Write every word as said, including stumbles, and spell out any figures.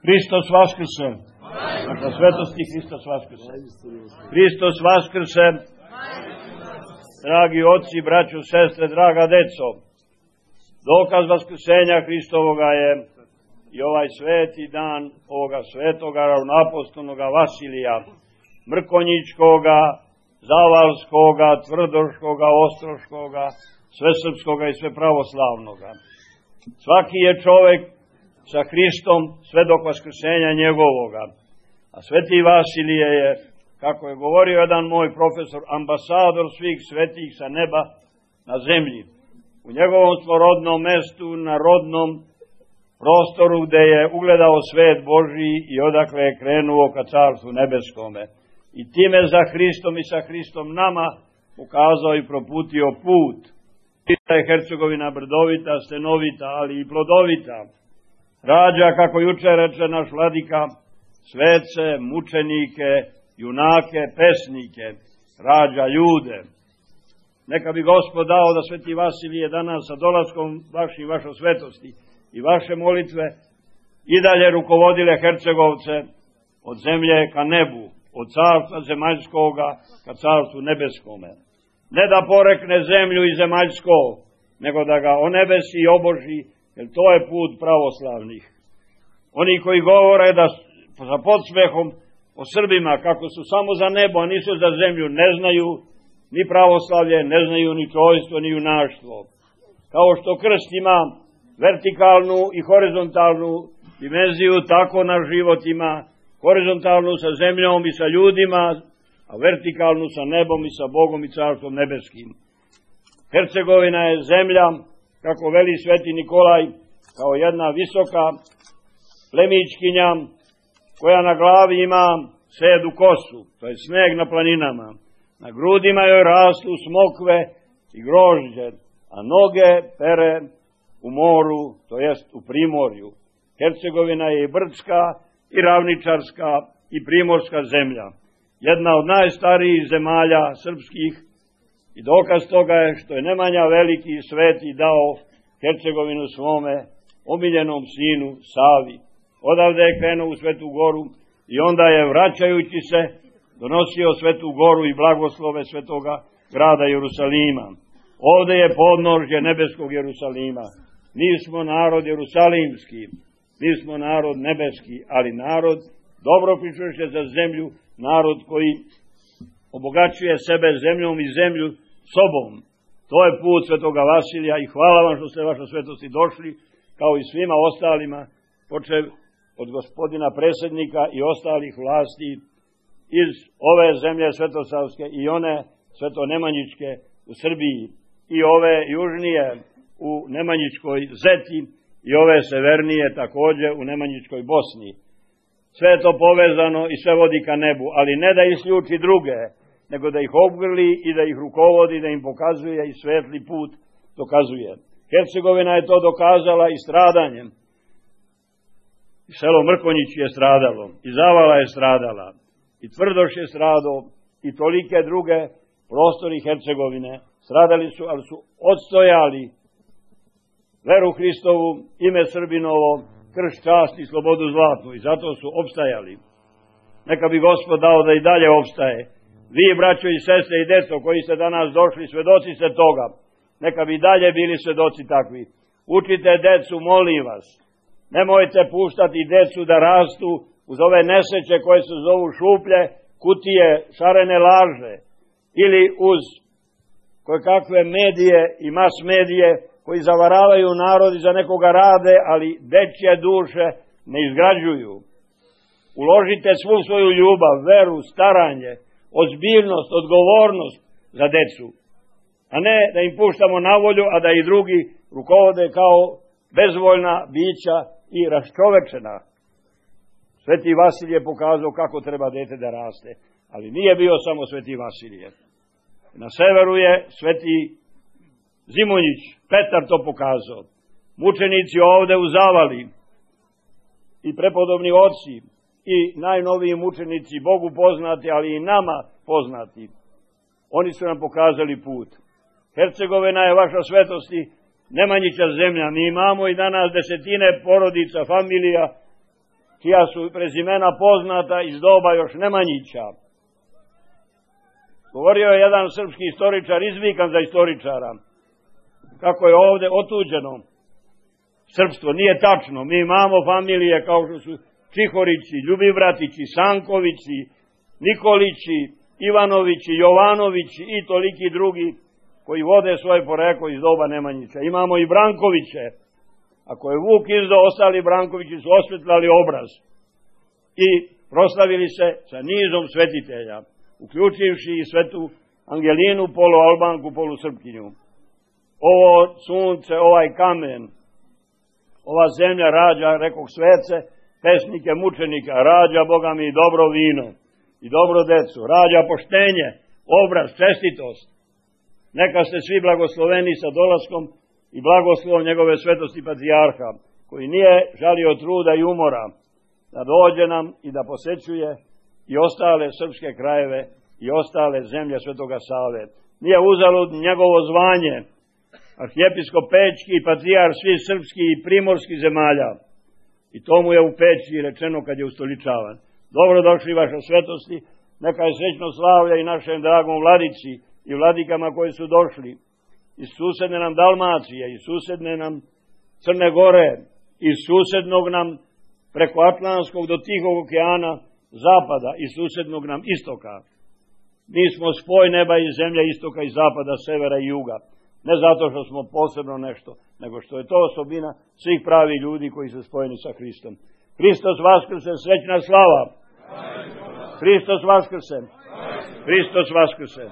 Hristos vaskrse. Vaša svetosti, Hristos vaskrse. Hristos vaskrse. Dragi oci, braćo, sestre, draga deco, dokaz vaskrsenja Hristovoga je i ovaj sveti dan ovoga svetoga ravnoapostolnoga Vasilija, Mrkonjićkoga, Zavalskoga, Tvrdoškoga, Ostroškoga, svesrpskoga i svepravoslavnoga. Svaki je čovek sa Hristom sve dok vaskrsenja njegovoga. A sveti Vasilije je, kako je govorio jedan moj profesor, ambasador svih svetih sa neba na zemlji. U njegovom svorodnom mestu, na rodnom prostoru gde je ugledao svet Božiji i odakle je krenuo ka carstvu nebeskome. I time za Hristom i sa Hristom nama ukazao i proputio put. Da je Hercegovina brdovita, stenovita, ali i plodovita. Rađa, kako juče reče naš vladika, svece, mučenike, junake, pesnike, rađa ljude. Neka bi Gospod dao da sveti Vasilije danas sa dolaskom vašim, vašo svetosti i vaše molitve i dalje rukovodile Hercegovce od zemlje ka nebu, od carstva zemaljskoga ka carstvu nebeskome. Ne da porekne zemlju i zemaljsko, nego da ga onebesi i oboži, jer to je put pravoslavnih. Oni koji govore da sa podsmehom o Srbima, kako su samo za nebo, a nisu za zemlju, ne znaju ni pravoslavlje, ne znaju ni čojstvo, ni junaštvo. Kao što krst ima vertikalnu i horizontalnu dimenziju, tako naš život ima horizontalnu sa zemljom i sa ljudima, a vertikalnu sa nebom i sa Bogom i carstvom nebeskim. Hercegovina je zemlja, kako veli sveti Nikolaj, kao jedna visoka plemićkinja, koja na glavi ima sedu kosu, to je sneg na planinama. Na grudima joj rastu smokve i grožđe, a noge pere u moru, to jest u primorju. Hercegovina je i brdska, i ravničarska, i primorska zemlja. Jedna od najstarijih zemalja srpskih i dokaz toga je što je Nemanja Veliki i Sveti dao Hercegovinu svome omiljenom sinu Savi. Odavde je krenuo u Svetu Goru i onda je, vraćajući se, donosio Svetu Goru i blagoslove svetoga grada Jerusalima. Ovde je podnožje nebeskog Jerusalima. Mi smo narod jerusalimski, mi smo narod nebeski, ali narod dobro pričuše za zemlju, narod koji obogaćuje sebe zemljom i zemlju sobom. To je put svetoga Vasilija i hvala vam što ste vaša svetosti došli, kao i svima ostalima, počev od gospodina predsjednika i ostalih vlasti iz ove zemlje svetosavske i one svetonemanjičke u Srbiji i ove južnije u Nemanjičkoj Zeti i ove severnije također u Nemanjičkoj Bosni. Sve je to povezano i sve vodi ka nebu, ali ne da isključi druge, nego da ih obgrli i da ih rukovodi, da im pokazuje i svetli put dokazuje. Hercegovina je to dokazala i stradanjem. I selo Mrkonjić je stradalo, i Zavala je stradala, i Tvrdoš je stradao, i tolike druge prostori Hercegovine stradali su, ali su odstojali veru Hristovu, ime Srbinovo, krst, čast i slobodu zlatnu, i zato su opstajali. Neka bi Gospod dao da i dalje opstaje. Vi, braćo i sestre i deco, koji ste danas došli, svedoci ste toga, neka bi dalje bili svedoci takvi. Učite decu, molim vas. Nemojte puštati decu da rastu uz ove nesreće koje se zovu šuplje, kutije, šarene laže, ili uz koje kakve medije i mas medije koji zavaravaju narod i za nekoga rade, ali dečje duše ne izgrađuju. Uložite svu svoju ljubav, veru, staranje, ozbiljnost, odgovornost za decu, a ne da im puštamo na volju, a da i drugi rukovode kao bezvoljna bića i raščovečena. Sveti Vasilije je pokazao kako treba dete da raste, ali nije bio samo sveti Vasilije. Na severu je sveti Zimonjić, Petar to pokazao. Mučenici ovde u Zavali i prepodobni oci i najnoviji mučenici, Bogu poznati, ali i nama poznati, oni su nam pokazali put. Hercegovina je vaša svetosti, Nemanjića zemlja. Mi imamo i danas desetine porodica, familija čija su prezimena poznata iz doba još Nemanjića. Govorio je jedan srpski istoričar, izvikan za istoričara, kako je ovde otuđeno srpstvo. Nije tačno. Mi imamo familije kao što su Čihorići, Ljubivratići, Sankovići, Nikolići, Ivanovići, Jovanovići i toliki drugi koji vode svoje poreklo iz doba Nemanjića. Imamo i Brankoviće. Ako je Vuk izdao, ostali Brankovići su osvetlali obraz i proslavili se sa nizom svetitelja, uključivši i svetu Angelinu, polualbanku, polusrpkinju. Ovo sunce, ovaj kamen, ova zemlja rađa, rekoh, svece, pesnike, mučenika, rađa, Boga mi, dobro vino i dobro decu, rađa poštenje, obraz, čestitost. Neka ste svi blagosloveni sa dolaskom i blagoslovom njegove svetosti patrijarha, koji nije žalio truda i umora da dođe nam i da posećuje i ostale srpske krajeve i ostale zemlje Svetoga Save. Nije uzalud njegovo zvanje, arhijepiskop Pećki i patrijar svih srpskih i primorskih zemalja. I to mu je u Peći rečeno kad je ustoličavan. Dobro došli, vaša svetosti, neka je srećno slavlja i našem dragom vladici i vladikama koji su došli iz susedne nam Dalmacije, iz susedne nam Crne Gore, iz susednog nam preko Atlantskog do Tihog okeana zapada i susednog nam istoka. Mi smo spoj neba i zemlje, istoka i zapada, severa i juga. Ne zato što smo posebno nešto, nego što je to osobina svih pravih ljudi koji su spojeni sa Hristom. Hristos vaskrse, srećna slava! Hristos vaskrse! Hristos vaskrse!